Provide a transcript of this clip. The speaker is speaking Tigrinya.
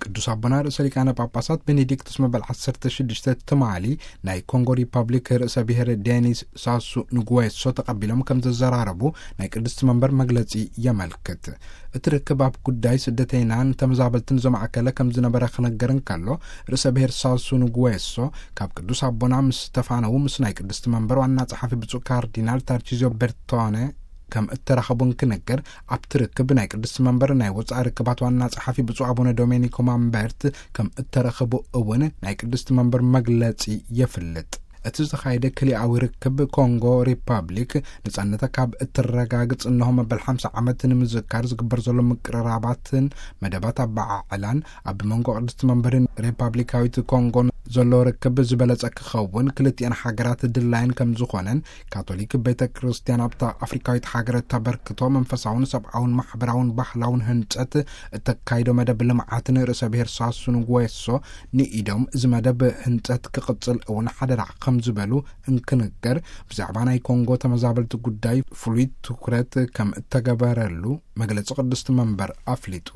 ቅዱስ ኣቦና ርእሰ ሊቃነ ጳጳሳት ቤኔዲክቱስ መበል ዓሰርተ ሽዱሽተ ትማሊ ናይ ኮንጎ ሪፐብሊክ ርእሰ ብሔር ዴኒስ ሳሱ ንጉዌሶ ተቐቢሎም ከም ዘዘራረቡ ናይ ቅድስቲ መንበር መግለጺ የመልክት። እቲ ርክብ ኣብ ጉዳይ ስደተይናን ተመዛበልትን ዘማእከለ ከም ዝነበረ ክነገር እንከሎ፣ ርእሰ ብሔር ሳሱ ንጉዌሶ ካብ ቅዱስ ኣቦና ምስ ተፋነዉ ምስ ናይ ቅድስቲ መንበር ዋና ጸሓፊ ብፁዕ ካርዲናል ታርቺዚዮ በርቶነ ከም እተራኸቡ እንክነገር፣ ኣብቲ ርክብ ናይ ቅድስቲ መንበር ናይ ወጻኢ ርክባት ዋና ጸሓፊ ብፁዕ ኣቡነ ዶሜኒኮ ማምበርት ከም እተረኸቡ እውን ናይ ቅድስቲ መንበር መግለጺ የፍልጥ። እቲ ዝተኻየደ ክልኣዊ ርክብ፣ ኮንጎ ሪፐብሊክ ነጻነታ ካብ እትረጋግጽ እንሆ መበል ሓምሳ ዓመት ንምዝካር ዝግበር ዘሎ ምቅርራባትን መደባት ኣበዓዕላን፣ ኣብ መንጎ ቅድስቲ መንበርን ሪፐብሊካዊት ኮንጎን ዘሎ ርክብ ዝበለጸ ክኸውን፣ ክልቲኣን ሃገራት ድላየን ከም ዝኾነን፣ ካቶሊክ ቤተ ክርስቲያን ኣብታ ኣፍሪካዊት ሃገር እተበርክቶ መንፈሳውን ሰብኣውን ማሕበራውን ባህላውን ህንጸት እተካይዶ መደብ ልምዓትን ርእሰ ብሔር ሳሱ ንጉዌሶ ንኢዶም፣ እዚ መደብ ህንጸት ክቕጽል እውን ሓደራ ከም ዝበሉ እንክንገር፣ ብዛዕባ ናይ ኮንጎ ተመዛበልቲ ጉዳይ ፍሉይ ትኩረት ከም እተገበረሉ መግለጺ ቅድስቲ መንበር ኣፍሊጡ።